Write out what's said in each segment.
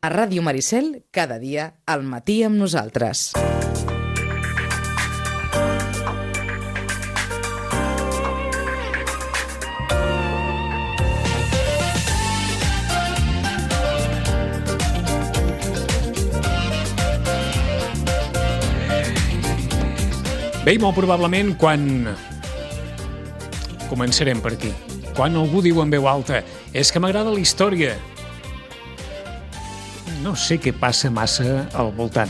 A Ràdio Maricel, cada dia, al matí amb nosaltres. Bé, molt probablement quan... Començarem per aquí. Quan algú diu en veu alta és que m'agrada la història. No sé què passa massa al voltant.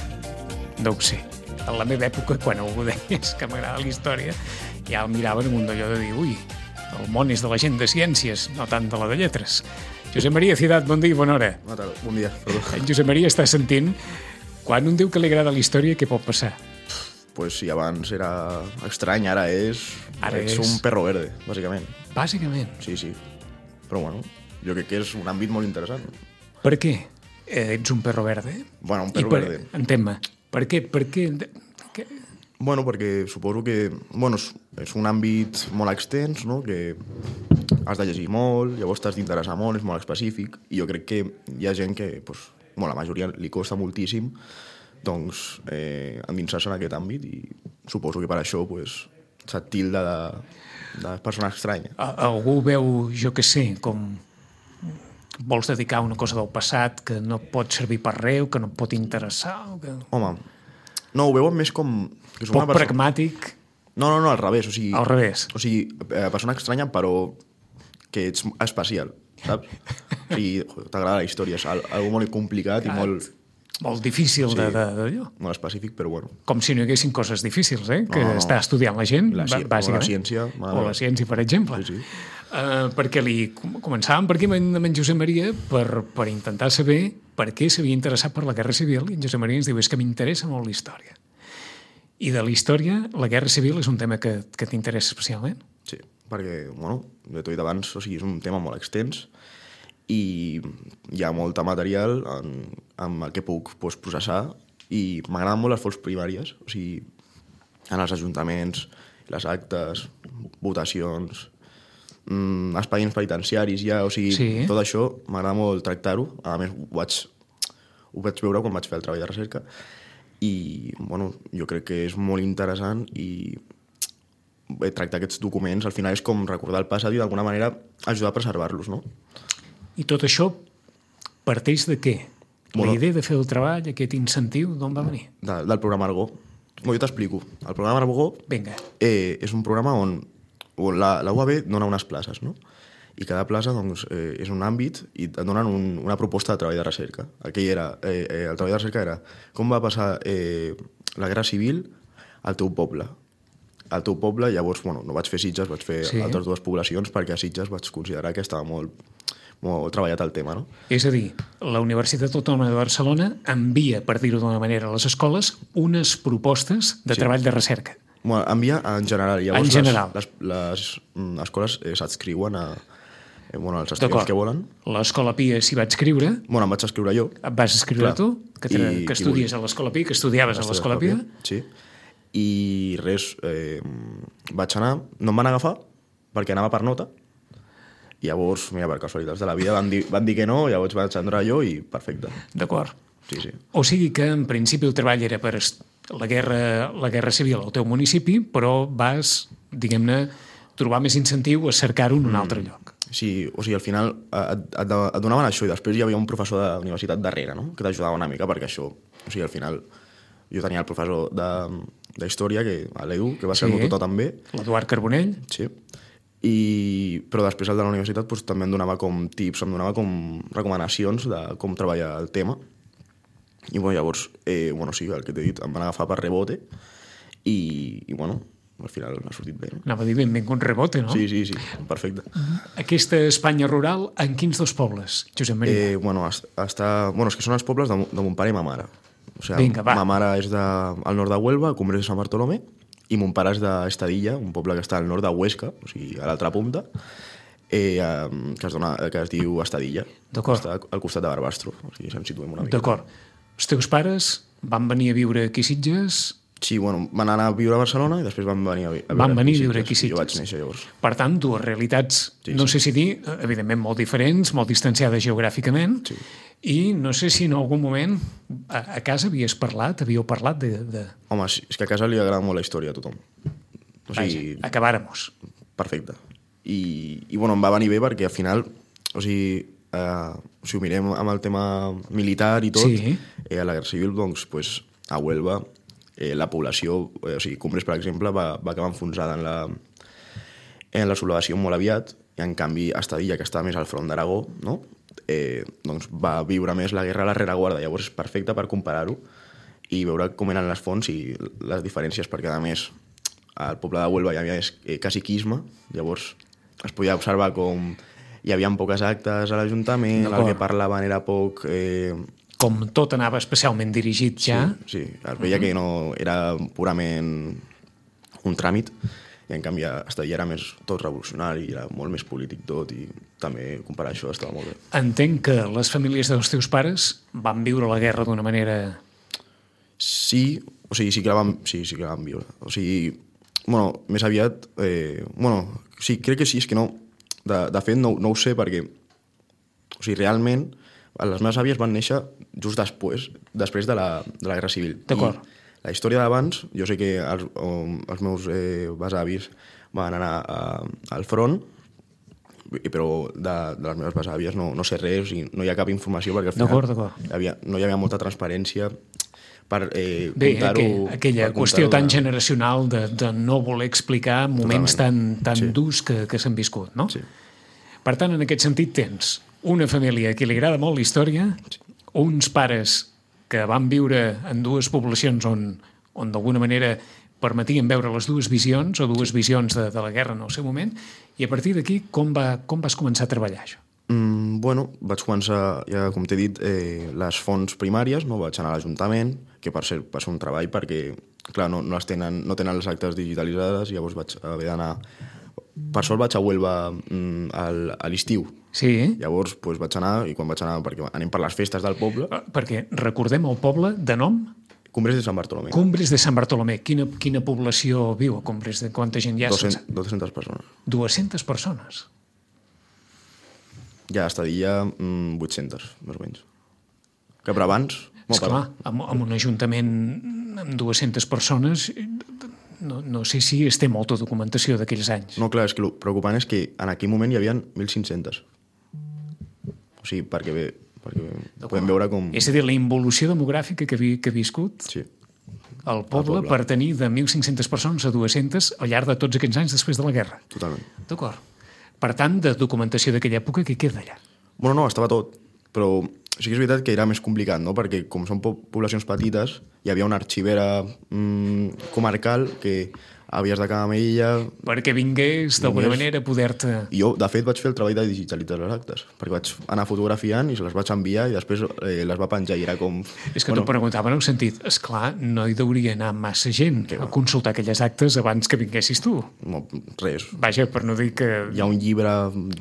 No ho sé. En la meva època, quan algú deia que m'agrada la història, ja el miraven amb un d'allò de dir ui, el món és de la gent de ciències, no tant de la de lletres. Josep Maria Ciutat, bon dia i bona hora. Bon dia, perdó. En Josep Maria està sentint quan un diu que li agrada la història, què pot passar? Pues si abans era estrany, ara és un perro verde, bàsicament. Bàsicament? Sí. Però bueno, jo crec que és un àmbit molt interessant. Per què ets un perro verde? Bueno, un perro verde. Entén-me. Per què? Bueno, perquè suposo que és un àmbit molt extens, no? Que has de llegir molt, llavors t'has d'interessar molt, és molt específic, i jo crec que hi ha gent que, la majoria li costa moltíssim doncs endinsar-se en aquest àmbit, i suposo que per això se't tilda de persona estranya. Algú veu, jo què sé, com vols dedicar una cosa del passat que no pot servir per res, que no et pot interessar... Home, no, ho veuen més com... Que poc pragmàtic... No, al revés. O sigui, al revés. O sigui, persona estranya, però que ets especial, saps? O sigui, t'agrada la història, és algo molt complicat i molt... Molt difícil d'allò. Molt específic, però bueno. Com si no hi haguessin coses difícils, que està estudiant la gent, bàsicament. O la ciència. O la ciència, per exemple. Sí. Perquè començàvem per aquí amb en Josep Maria per intentar saber per què s'havia interessat per la Guerra Civil, i en Josep Maria ens diu, és que m'interessa molt la història. I de la història, la Guerra Civil és un tema que t'interessa especialment? Sí, perquè, de tot i d'abans, o sigui, és un tema molt extens, i hi ha molta material amb el que puc processar, i m'agraden molt les fonts primàries, o sigui, en els ajuntaments, les actes, votacions, expedients penitenciaris ja, o sigui, tot això m'agrada molt tractar-ho. A més, ho vaig veure quan vaig fer el treball de recerca, i jo crec que és molt interessant, i tractar aquests documents al final és com recordar el passat i d'alguna manera ajudar a preservar-los, no? I tot això parteix de què? La idea de fer el treball, aquest incentiu, d'on va venir? Del programa Argó. Jo t'explico. El programa Argó és un programa on la UAB dona unes places, no? I cada plaça és un àmbit i et donen una proposta de treball de recerca. El treball de recerca era com va passar la Guerra Civil al teu poble. Al teu poble, llavors, no vaig fer Sitges, vaig fer altres dues poblacions, perquè a Sitges vaig considerar que estava molt treballat el tema, no? És a dir, la Universitat Autònoma de Barcelona envia, per dir-ho d'una manera, a les escoles unes propostes de treball de recerca. Envia en general. Llavors, en general. Les escoles s'adscriuen als estudiants que volen. L'Escola Pia s'hi va adscriure. Em vaig escriure jo. Et vas escriure tu, que estudies a l'Escola Pia, que estudiaves a l'Escola Pia. Sí. I res, vaig anar, no em van agafar perquè anava per nota, i llavors, mira, per casualitats de la vida van dir que no, llavors vaig entrar jo i perfecte. D'acord. Sí. O sigui que en principi el treball era per la guerra civil al teu municipi, però vas, diguem-ne, trobar més incentiu a cercar-ho en un altre lloc. Sí, o sigui, al final et donaven això, i després hi havia un professor de universitat darrere, no?, que t'ajudava una mica, perquè això, o sigui, al final jo tenia el professor d'història, l'Edu, que va ser el meu tutor també. L'Eduard Carbonell. Sí. Però després el de la universitat també em donava com tips, em donava com recomanacions de com treballar el tema, i llavors sí, el que t'he dit, em van agafar per rebote, i al final ha sortit bé, no? Anava a dir benvingut rebote, no? Sí, perfecte. Aquesta Espanya rural, en quins dos pobles, Josep Maria? És que són els pobles de mon pare i ma mare. O sigui, ma mare és al nord de Huelva, al Congrés de Sant Bartolomé, i mon pare és d'Estadilla, un poble que està al nord de Huesca, o sigui, a l'altra punta, que es diu Estadilla. D'acord. Està al costat de Barbastro, o sigui, ens situem una mica. D'acord. Els teus pares van venir a viure aquí a Sitges Sí, bueno, van anar a viure a Barcelona i després van venir a viure Van venir a viure Sitges. aquí a Sitges. Jo vaig néixer llavors. Per tant, dues realitats, no sé si dir, evidentment molt diferents, molt distanciades geogràficament, i no sé si en algun moment a casa havíeu parlat de... Home, sí, és que a casa li agrada molt la història a tothom. O sigui, Vaja, acabàrem-nos. perfecte. I bueno, em va venir bé perquè al final, o sigui, si ho mirem amb el tema militar i tot, Sí. a la Guerra Civil, doncs, a Huelva, la població, o sigui, Cumbres, per exemple, va acabar enfonsada en la sublevació molt aviat, i en canvi Estadilla, que està més al front d'Aragó, no? Doncs va viure més la guerra a la rereguarda. Llavors és perfecte per comparar-ho i veure com eren les fonts i les diferències, perquè a més al poble de Huelva hi havia caciquisme, llavors es podia observar com hi havia poques actes a l'Ajuntament, el que parlaven era poc... Com tot anava especialment dirigit ja... Sí, es veia que no era purament un tràmit, i en canvi Estadilla era més tot revolucionari, era molt més polític tot, i també comparar això estava molt bé. Entenc que les famílies dels teus pares van viure la guerra d'una manera... Sí, o sigui, sí que la van viure. O sigui, bueno, més aviat... sí, crec que sí, és que no... De fet, no ho sé, perquè... O sigui, realment, les meves àvies van néixer just després de la Guerra Civil. D'acord. I la història d'abans, jo sé que els meus besavis van anar al front, però de les meves besàvies no sé res, i no hi ha cap informació, perquè al final no hi havia molta transparència per contar-ho... Aquella qüestió tan generacional de no voler explicar moments tan durs que s'han viscut, no? Sí. Per tant, en aquest sentit tens una família a qui li agrada molt la història, uns pares que van viure en dues poblacions on d'alguna manera permetien veure les dues visions o dues visions de la guerra en el seu moment, i a partir d'aquí com vas començar a treballar això? Bueno, vaig començar, ja com t'he dit, les fonts primàries, no? Vaig anar a l'Ajuntament, que per ser un treball perquè, clar, no tenen les actes digitalitzades, llavors vaig haver d'anar... Per sort vaig a Huelva a l'estiu. Sí. Llavors vaig anar, i quan vaig anar, perquè anem per les festes del poble... Perquè recordem el poble de nom? Cumbres de Sant Bartolomé. Cumbres de Sant Bartolomé. Quina població viu a Cumbres? De quanta gent hi ha? 200 persones. 200 persones? Ja a Estadilla 800, més o menys. Que per abans... Esclar, amb un ajuntament amb 200 persones... No sé si es té molta documentació d'aquells anys. No, clar, és que el preocupant és que en aquell moment hi havia 1.500. O sigui, perquè podem veure com... És a dir, la involució demogràfica que ha viscut el poble per tenir de 1.500 persones a 200 al llarg de tots aquests anys després de la guerra. Totalment. D'acord. Per tant, de documentació d'aquella època, què queda allà? Bueno, no, estava tot, però sí que és veritat que era més complicat, no? Perquè com són poblacions petites, hi havia una arxivera comarcal que havies de quedar amb ella... Perquè vingués d'alguna manera a poder-te... I jo, de fet, vaig fer el treball de digitalitzar les actes, perquè vaig anar fotografiant i se les vaig enviar i després les va penjar i era com... És que t'ho preguntava en un sentit, esclar, no hi deuria anar massa gent a consultar aquelles actes abans que vinguessis tu. No, res. Vaja, per no dir que... Hi ha un llibre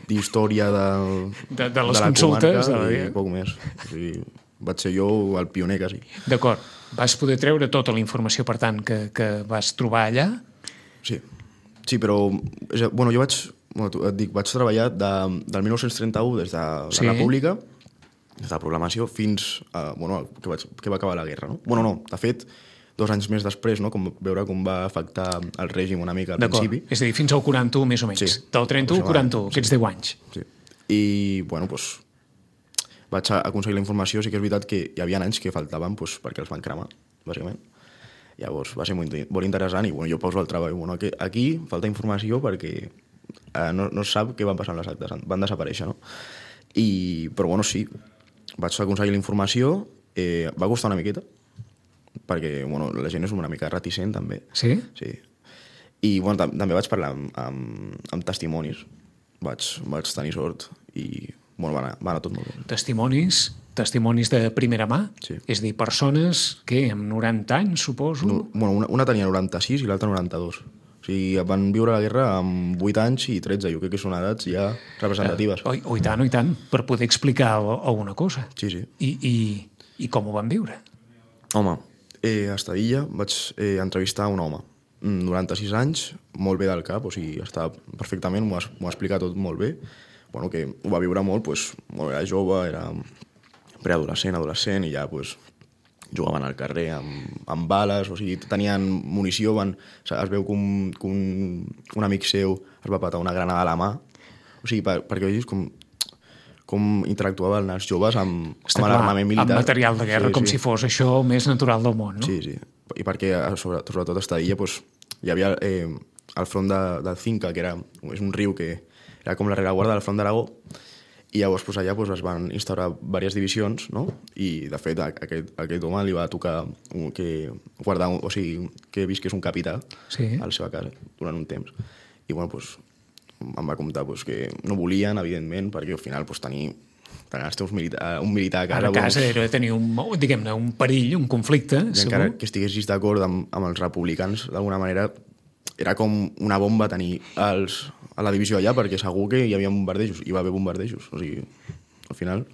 d'història de les consultes i poc més. O sigui, vaig ser jo el pioner, quasi. D'acord. Vas poder treure tota la informació, per tant, que vas trobar allà? Sí, però bueno, jo vaig treballar del 1931 des de la República, des de la programació, fins que va acabar la guerra. No? Bueno, no, de fet, 2 anys més després, no? Veure com va afectar el règim una mica al principi. És a dir, fins al 41, més o menys. Sí. Del 31 al 41, aquests 10 anys. Sí. I, bueno, doncs, vaig aconseguir la informació. Sí que és veritat que hi havia anys que faltaven perquè els van cremar, bàsicament. Llavors va ser molt interessant i jo poso el treball. Aquí falta informació perquè no es sap què va passar amb les actes, van desaparèixer, no? Però sí, vaig aconseguir la informació, va costar una miqueta, perquè la gent és una mica reticent també. Sí? Sí. I també vaig parlar amb testimonis, vaig tenir sort i va anar tot molt bé. Testimonis de primera mà? Sí. És a dir, persones que amb 90 anys, suposo... Una tenia 96 i l'altra 92. O sigui, van viure la guerra amb 8 anys i 13. Jo crec que són edats ja representatives. I tant, per poder explicar alguna cosa. Sí. I com ho van viure? Home, A Estadilla vaig entrevistar un home, 96 anys, molt bé del cap, o sigui, estava perfectament, m'ho ha explicat tot molt bé, bueno, que ho va viure molt, doncs, molt, era jove, era preadolescent, adolescent, i ja doncs, jugaven al carrer amb bales, o sigui, tenien munició, es veu que un amic seu es va patar una granada a la mà, o sigui, perquè vegis com interactuaven els joves amb l'armament militar. Amb material de guerra, com si fos això més natural del món, no? Sí, sí. I perquè, sobretot a Estadilla, doncs, hi havia el front del Cinca, que és un riu que era com la rereguarda del front d'Aragó, i llavors allà es van instaurar diverses divisions, no? I, de fet, aquest home li va tocar o sigui, que visqués un capità a la seva casa durant un temps. I, bueno, doncs, em va comptar que no volien, evidentment, perquè al final tenir un militar a casa... A casa era tenir un perill, un conflicte, i segur. encara que estiguessis d'acord amb els republicans, d'alguna manera, era com una bomba tenir a la divisió allà, perquè segur que hi havia bombardejos, hi va haver bombardejos. O sigui, al final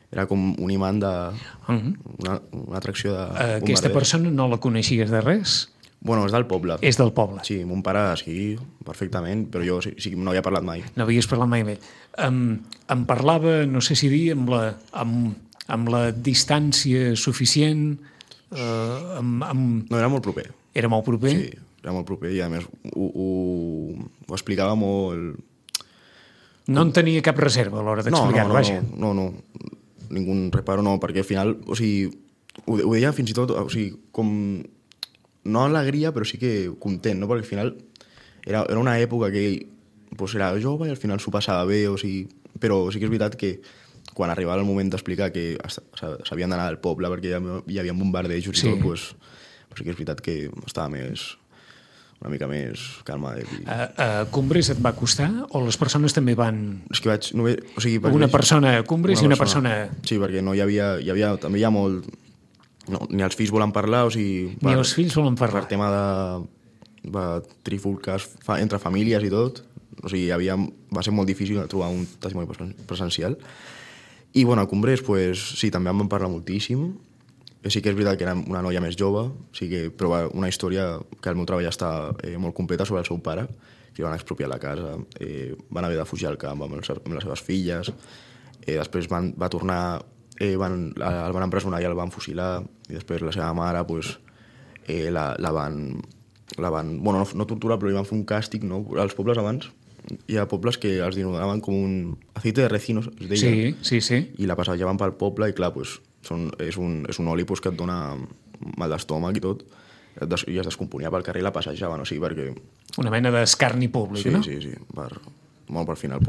era com un imant una atracció de bombardejos. Aquesta persona no la coneixies de res? Bueno, és del poble. És del poble. Sí, mon pare sí, perfectament, però jo sí, no havia parlat mai. No havies parlat mai amb ell. Em parlava, no sé si dir, amb la distància suficient... No, era molt proper. Era molt proper? Sí, era molt proper i a més ho explicava molt... No en tenia cap reserva a l'hora d'explicar-ho, vaja. No, ningú reparo no, perquè al final, o sigui, ho deia fins i tot, o sigui, com... No alegria, però sí que content, no? Perquè al final era una època que ell era jove i al final s'ho passava bé, o sigui, però sí que és veritat que quan arribava el moment d'explicar que s'havien d'anar al poble perquè hi havia bombardejos i tot, sí que és veritat que estava una mica més calmat. A Cumbres et va costar o les persones també van... És que una persona a Cumbres i una persona... Sí, perquè no hi havia també hi ha molt... No, ni els fills volen parlar, o sigui... Ni els fills volen parlar. Per tema de trifulques entre famílies i tot, o sigui, va ser molt difícil trobar un testimoni presencial. I, bueno, a Cumbres, sí, també em van parlar moltíssim. Sí que és veritat que era una noia més jove, però una història que el meu treball està molt completa sobre el seu pare, que van expropiar la casa, van haver de fugir al camp amb les seves filles, després va tornar... el van empresonar i el van fusilar, i després la seva mare la van bueno, no torturar, però li van fer un càstig, no? Als pobles abans hi ha pobles que els denominaven com un aceite de recinos, es deia. Sí. I la passaven pel poble i clar, és un oli que et dona mal d'estómac i tot, i es descomponia pel carrer i la passejaven, o sigui, perquè... Una mena d'escarni públic, no? Sí, per final,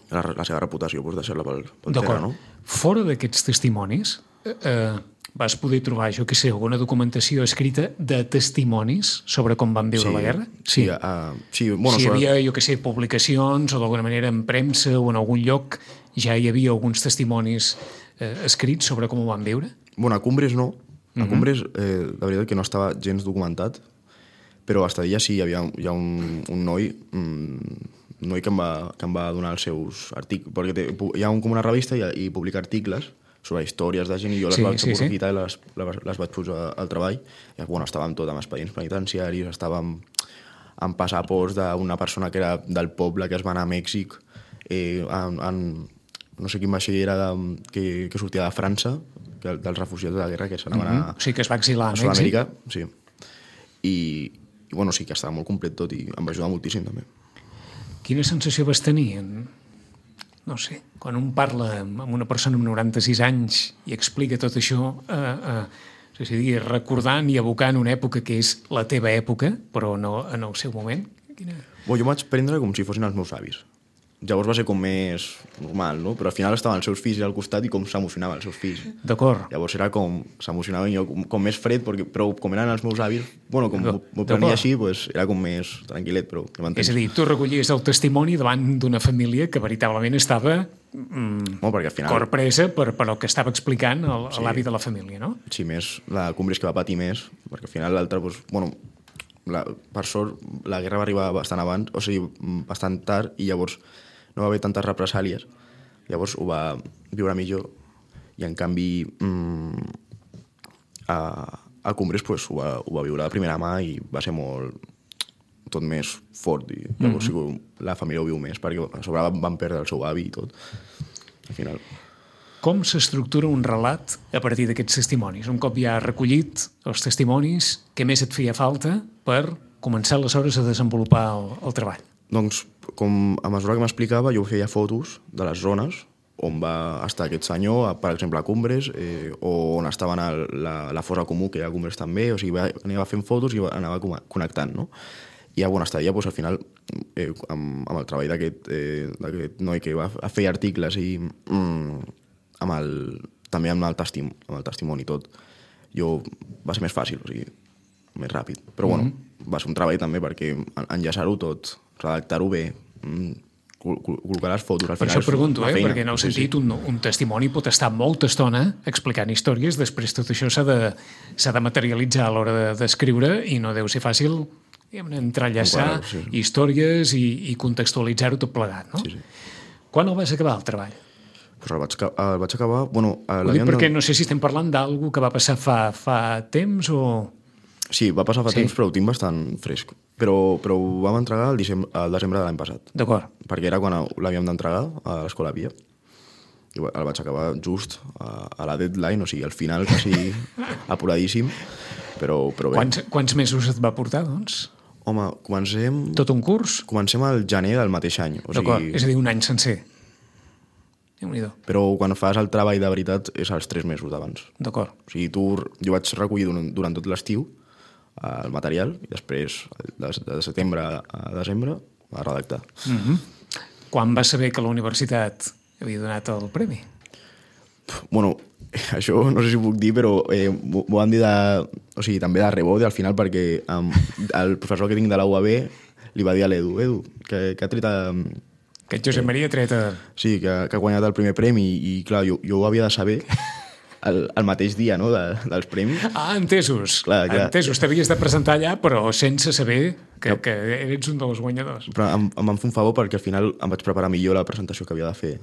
la seva reputació deixar-la pel terra, no? Fora d'aquests testimonis, vas poder trobar, jo què sé, alguna documentació escrita de testimonis sobre com van viure la guerra? Sí. Bueno, si hi havia, jo què sé, publicacions o d'alguna manera en premsa o en algun lloc ja hi havia alguns testimonis escrits sobre com ho van viure? Bueno, a Cumbres no. A Cumbres, la veritat que no estava gens documentat, però a Estadilla sí, hi ha un noi... un noi que em va donar els seus articles, perquè hi ha com una revista i publica articles sobre històries de gent i jo les vaig aprofitar i les vaig posar al treball. I, bueno, estàvem tot amb expedients penitenciaris, estàvem amb passaports d'una persona que era del poble que es va anar a Mèxic, no sé quin vaixell era que sortia de França, dels refugiats de la guerra que s'anaven a... O sigui, que es va exilar a Sud-amèrica, sí. I, bueno, sí que estava molt complet tot i em va ajudar moltíssim també. Quina sensació vas tenir? No sé, quan un parla amb una persona amb 96 anys i explica tot això, recordant i evocant una època que és la teva època, però no en el seu moment? Jo m'ho vaig prendre com si fossin els meus avis. Llavors va ser com més normal, no? Però al final estaven els seus fills al costat i com s'emocionaven els seus fills. D'acord. Llavors era com, s'emocionaven jo com més fred, però com eren els meus avis, bueno, com m'ho prenia així, era com més tranquil·let, però ja m'entens. És a dir, tu recollies el testimoni davant d'una família que veritablement estava corpresa per el que estava explicant l'avi de la família, no? Sí, més la Cumbres que va patir més, perquè al final l'altre, bueno, per sort, la guerra va arribar bastant abans, o sigui, bastant tard, i llavors no va haver tantes represàlies, llavors ho va viure millor, i en canvi a Cumbres pues, ho va viure de primera mà i va ser tot més fort. I, llavors, la família ho viu més, perquè a sobre van perdre el seu avi i tot. Al final... Com s'estructura un relat a partir d'aquests testimonis? Un cop ja recollit els testimonis, què més et feia falta per començar aleshores a desenvolupar el treball? Doncs, com a mesura que m'explicava, jo feia fotos de les zones on va estar aquest senyor, per exemple, a Cumbres, o on estaven la fosa comú, que hi ha a Cumbres també, o sigui, anava fent fotos i anava connectant, no? I a Bonestalla, doncs, al final, amb el treball d'aquest noi que va fer articles i també amb el testimoni i tot, va ser més fàcil, o sigui, més ràpid. Però, bueno, va ser un treball també perquè enllaçar-ho tot, redactar-ho bé, col·locar les fotos... Per això pregunto, perquè en el sentit un testimoni pot estar molta estona explicant històries, després tot això s'ha de materialitzar a l'hora d'escriure i no deu ser fàcil entrellaçar històries i contextualitzar-ho tot plegat, no? Sí. Quan el vas acabar, el treball? Pues el vaig acabar... Bueno, ho dic perquè no sé si estem parlant d'algú que va passar fa temps o... Sí, va passar fa temps, però ho tinc bastant fresc. Però ho vam entregar al desembre de l'any passat. D'acord. Perquè era quan l'havíem d'entregar a l'Escola Pia. I el vaig acabar just a la deadline, o sigui, al final, quasi apuradíssim, però bé. Quants mesos et va portar, doncs? Home, comencem... Tot un curs? Comencem al gener del mateix any. D'acord, és a dir, un any sencer. Déu-n'hi-do. Però quan fas el treball de veritat és als 3 mesos d'abans. D'acord. O sigui, jo vaig recollir durant tot l'estiu el material i després, de setembre a desembre, a redactar. Quan vas saber que la universitat havia donat el premi? Bueno, això no sé si ho puc dir, però m'ho van dir també de rebot al final, perquè el professor que tinc de la UAB li va dir a l'Edu, que ha tret... Que Josep Maria ha tret... Sí, que ha guanyat el primer premi i clar, jo ho havia de saber el mateix dia, no?, dels premis. Ah, entesos. Clar. Entesos. T'havies de presentar allà, però sense saber que eres un dels guanyadors. Però em van fer un favor perquè al final em vaig preparar millor la presentació que havia de fer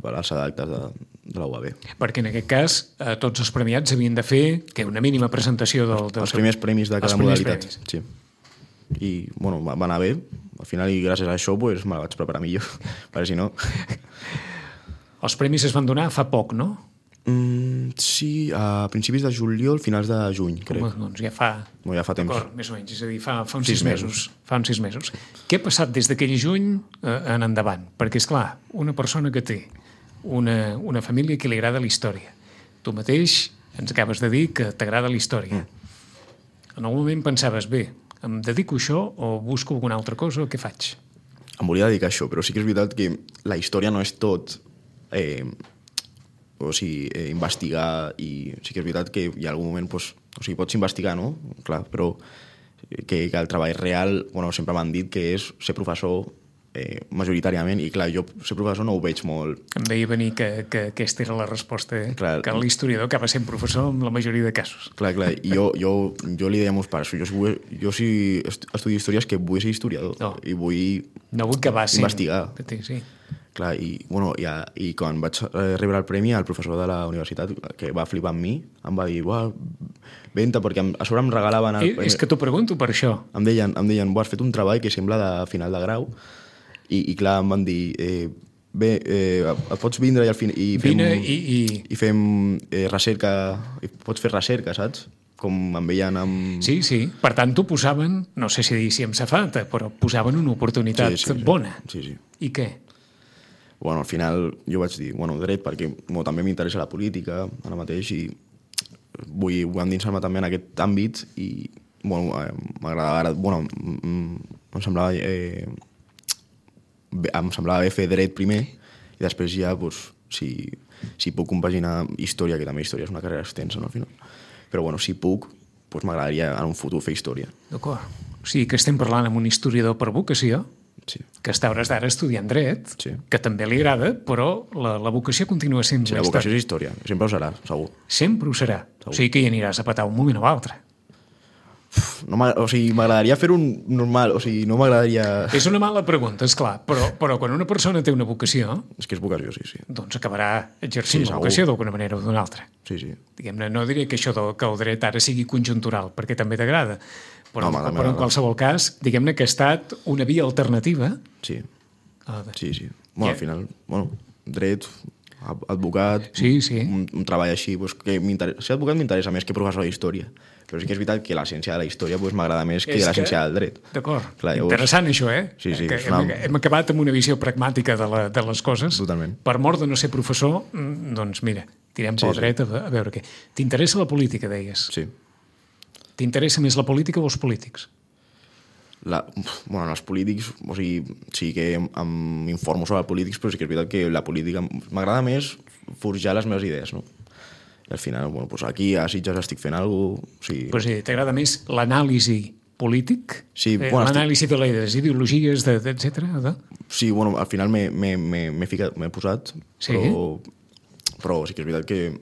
per als actes de la UAB. Perquè en aquest cas tots els premiats havien de fer una mínima presentació els primers premis de cada modalitat. Sí. I, bueno, va anar bé. Al final, i gràcies a això, pues, me la vaig preparar millor. perquè si no... Els premis es van donar fa poc, no? Sí, a principis de juliol, finals de juny, crec. Doncs ja fa temps. D'acord, més o menys, és a dir, fa uns 6 mesos. Fa uns 6 mesos. Què ha passat des d'aquell juny en endavant? Perquè, esclar, una persona que té una família que li agrada la història. Tu mateix ens acabes de dir que t'agrada la història. En algun moment pensaves, bé, em dedico a això o busco alguna altra cosa o què faig? Em volia dedicar a això, però sí que és veritat que la història no és tot... investigar, i sí que és veritat que hi ha algun moment, pots investigar, no? Clar, però que el treball real, sempre m'han dit que és ser professor majoritàriament, i clar, jo ser professor no ho veig molt. Em veia venir que aquesta era la resposta, clar, que l'historiador acaba sent professor en la majoria de casos. Clar, i jo li deia a meus pares, jo si estudio històries que vull ser historiador, i vull investigar. Sí. Clar, i quan vaig rebre el premi, el professor de la universitat, que va flipar amb mi, em va dir, venta, perquè a sobre em regalaven... És que t'ho pregunto per això. Em deien, has fet un treball que sembla de final de grau, i clar, em van dir, bé, pots vindre i fem recerca, pots fer recerca, saps? Com em veien amb... Sí, per tant t'ho posaven, no sé si dir si amb safata, però posaven una oportunitat bona. Sí. I què? Al final jo vaig dir, dret, perquè també m'interessa la política ara mateix i vull endinsar-me també en aquest àmbit i m'agradava, em semblava bé fer dret primer i després ja, si puc compaginar història, que també història és una carrera extensa, no, al final. Però si puc, m'agradaria en un futur fer història. D'acord. O sigui que estem parlant amb un historiador per vocació, que està a hores d'ara estudiant dret, que també li agrada, però la vocació continua sent... Sí, la vocació és història, sempre ho serà, segur. Sempre ho serà. O sigui que hi aniràs a petar un moment o altre. No o sigui, m'agradaria fer un normal, o sigui, no m'agradaria... És una mala pregunta, és clar, però quan una persona té una vocació, És que és vocació, sí. doncs acabarà exercint Sí, la segur. vocació d'alguna manera o d'una altra. Sí. Diguem-ne, no diré que això que el dret ara sigui conjuntural, perquè també t'agrada, però, Home, també però en m'agrada. qualsevol cas, diguem-ne que ha estat una via alternativa. Sí. Ah, Bueno, al final, dret, advocat, Sí. un treball així, pues, que ser advocat m'interessa més que professor d'història. Però sí que és veritat que la ciència de la història m'agrada més que la ciència del dret. D'acord. Clar, llavors- Interessant això, eh? Sí, Que és una- hem acabat amb una visió pragmàtica de les coses. Totalment. Per mort de no ser professor, doncs mira, tirem pel Sí. dret a veure què. T'interessa la política, deies? Sí. T'interessa més la política o els polítics? Els polítics, o sigui, sí que m'informo sobre polítics, però sí que és veritat que la política m'agrada més forjar les meves idees, no? I al final, pues aquí a Sitges estic fent alguna cosa... O sigui, Però sí, t'agrada més l'anàlisi polític? Sí, l'anàlisi de les ideologies, etc. Sí, al final m'he posat, Sí. però sí que és veritat que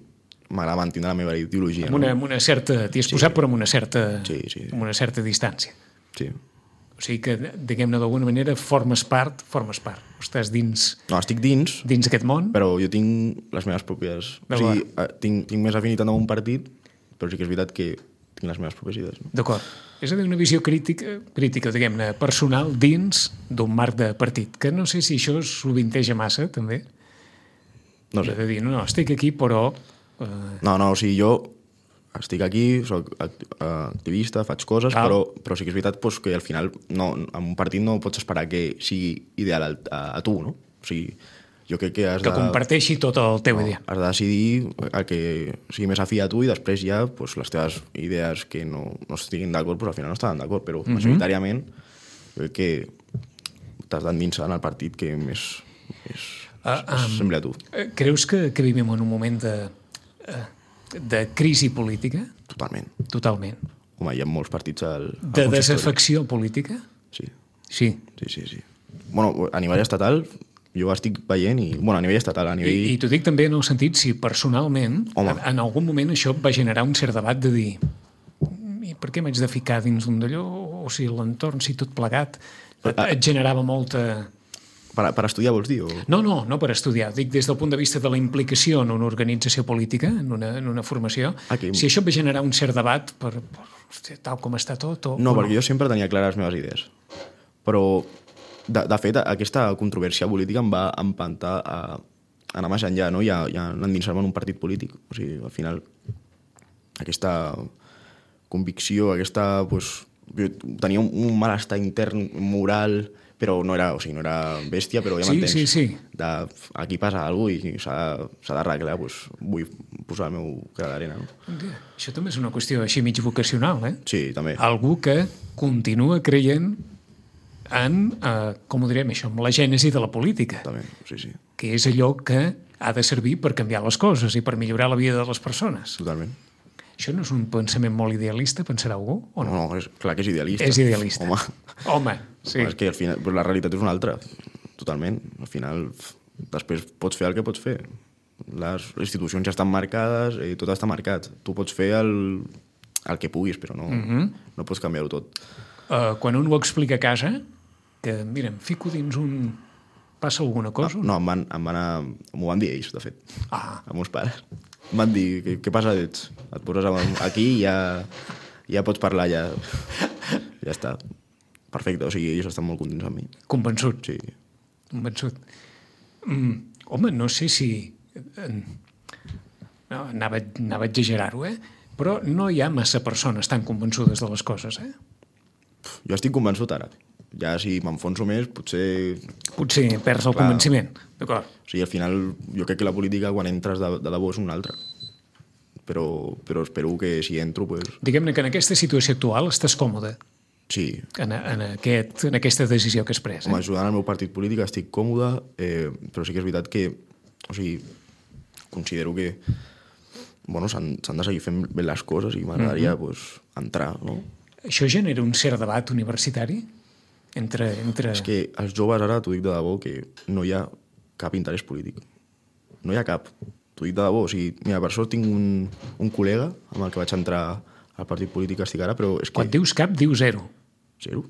m'agrada mantenir la meva ideologia. Amb una certa... T'hi has posat, però amb una certa, Sí. amb una certa distància. Sí. O sigui que, diguem-ne, d'alguna manera formes part, estàs dins No, estic dins, aquest món. però jo tinc les meves pròpies... O sigui, tinc més afinitat amb un partit, però sí que és veritat que tinc les meves pròpies idees. No? D'acord. És a dir, una visió crítica, diguem-ne, personal dins d'un marc de partit, que no sé si això sovinteja massa, també. No sé. És a dir, no, estic aquí, però... No, o sigui, jo estic aquí, soc activista, faig coses, però sí que és veritat pues, que al final en un partit no pots esperar que sigui ideal a tu, no? O sigui, jo crec que has que comparteixi tot el teu idea. Has de decidir el que sigui més afí a tu i després ja pues, les teves idees que no estiguin d'acord, pues, al final no estaran d'acord, però majoritàriament crec que t'has d'endinsar en el partit que més sembla a tu. Creus que vivim en un moment de crisi política? Totalment. Home, hi ha molts partits de desafecció política? Sí. Bueno, a nivell estatal jo estic veient a nivell estatal, a nivell... I t'ho dic també en el sentit si personalment en algun moment això va generar un cert debat de dir i per què m'haig de ficar dins d'un d'allò o si l'entorn, si tot plegat et generava molta... Per estudiar vols dir? No per estudiar. Dic des del punt de vista de la implicació en una organització política, en una formació, si això va generar un cert debat per tal com està tot o... No, perquè jo sempre tenia clares les meves idees. Però, de fet, aquesta controvèrsia política em va empantar a anar més enllà, no? I a endinsar-me en un partit polític. O sigui, al final, aquesta convicció, pues, jo tenia un malestar intern, moral... però no era bèstia, però ja m'entens. Sí. Aquí passa alguna cosa i s'ha d'arreglar, doncs vull posar el meu gra d'arena. No? Això també és una qüestió així mig vocacional, eh? Sí, també. Algú que continua creient en, com ho direm això, en la gènesi de la política. També, sí. Que és allò que ha de servir per canviar les coses i per millorar la vida de les persones. Totalment. Això no és un pensament molt idealista, pensarà algú? O no? No, clar que és idealista. És idealista. Home, sí. És que al final la realitat és una altra, totalment. Al final, després pots fer el que pots fer. Les institucions ja estan marcades, tot està marcat. Tu pots fer el que puguis, però no pots canviar-ho tot. Quan un ho explica a casa, que, mira, em fico dins un... Passa alguna cosa? No, m'ho van dir ells, de fet. Els meus pares. Em van dir, què passa? Et poses aquí i ja pots parlar, ja està. Perfecte, o sigui, ells estan molt contents amb mi. Convençut? Sí. Convençut. Home, no sé si... No, anava a exagerar-ho, però no hi ha massa persones tan convençudes de les coses, Jo estic convençut ara. Ja si m'enfonso més, potser perds el convenciment. D'acord. O sigui, al final, jo crec que la política, quan entres de debò, és una altra. Però espero que si entro... Diguem-ne que en aquesta situació actual estàs còmode. Sí. En aquesta decisió que has pres. Home, ajudant al meu partit polític estic còmode, però sí que és veritat que... O sigui, considero que s'han de seguir fent bé les coses i m'agradaria entrar, no? Això genera un cert debat universitari? Entre... És que els joves ara, t'ho dic de debò, que no hi ha cap interès polític. No hi ha cap. T'ho dic de debò. O sigui, mira, per sort tinc un col·lega amb el que vaig entrar al partit polític que estic ara, però és que... Quan dius cap, dius zero. Zero.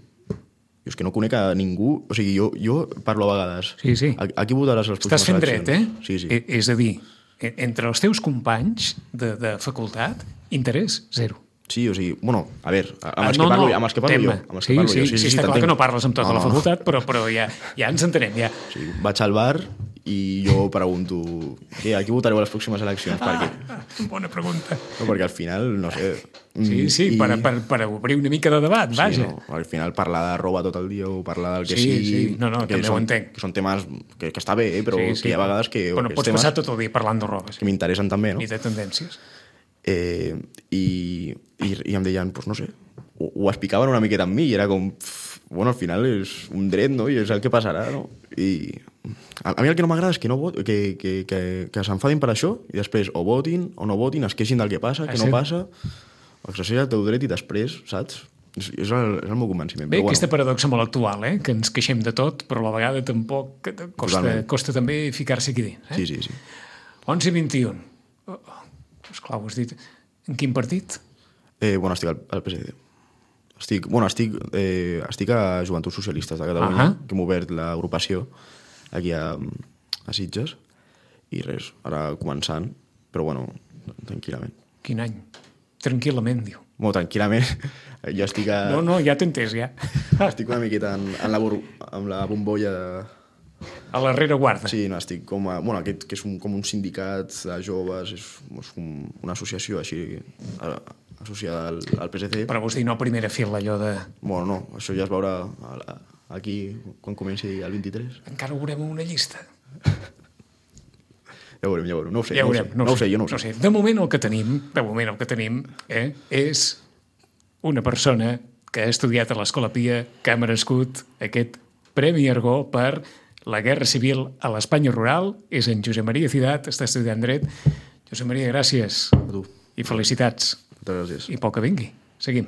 Jo és que no conec a ningú... O sigui, jo parlo a vegades. Sí. A qui votaràs a les Estàs fent eleccions? dret, Sí. És a dir, entre els teus companys de facultat, interès zero. Sí, o sigui, bueno, a veure, amb els que parlo jo. Sí, està clar que no parles amb tota la facultat, però ja ens entenem, ja. Sí, vaig al bar i jo pregunto a qui votareu a les pròximes eleccions? Bona pregunta. No, perquè al final, no sé... Sí, per obrir una mica de debat, vaja. No, al final parlar de roba tot el dia o parlar del que sigui... Sí, no, també ho entenc. Que són temes que està bé, però que hi ha vegades que... Però no pots passar tot el dia parlant de roba. Que m'interessen també, no? Ni de tendències. I em deien, doncs no sé, ho explicaven una miqueta amb mi i era com, bueno, al final és un dret, no? I és el que passarà, no? I a mi el que no m'agrada és que s'enfadin per això i després o votin o no votin, es queixin del que passa, que no passa, exerceix el teu dret i després, saps? És el meu convenciment. Bé, aquesta paradoxa molt actual, que ens queixem de tot, però a la vegada tampoc costa també ficar-se aquí dins. Sí. 11:21. Esclar, ho has dit. En quin partit? Bueno, estic al PSD. Estic a Joventuts Socialistes de Catalunya, que hem obert l'agrupació aquí a Sitges, i res, ara començant, però bueno, tranquil·lament. Quin any? Tranquil·lament, diu. Bueno, tranquil·lament, jo estic a... No, ja t'he entès, ja. Estic una miqueta amb la bombolla de... A la rereguarda. Sí, no, estic com a... Bueno, aquest que és com un sindicat de joves, és una associació així associada al PSC. Però vols dir no a primera fila, allò de... Bueno, no, això ja es veurà aquí quan comenci el 23. Encara ho veurem una llista. Ja ho veurem, no ho sé. No ho sé. De moment el que tenim és una persona que ha estudiat a l'Escola Pia, que ha merescut aquest Premi Argó per la Guerra Civil a l'Espanya rural. És en Josep Maria Ciutat, està estudiant dret. Josep Maria, gràcies. A tu. I felicitats. Moltes gràcies. I pel que vingui. Seguim.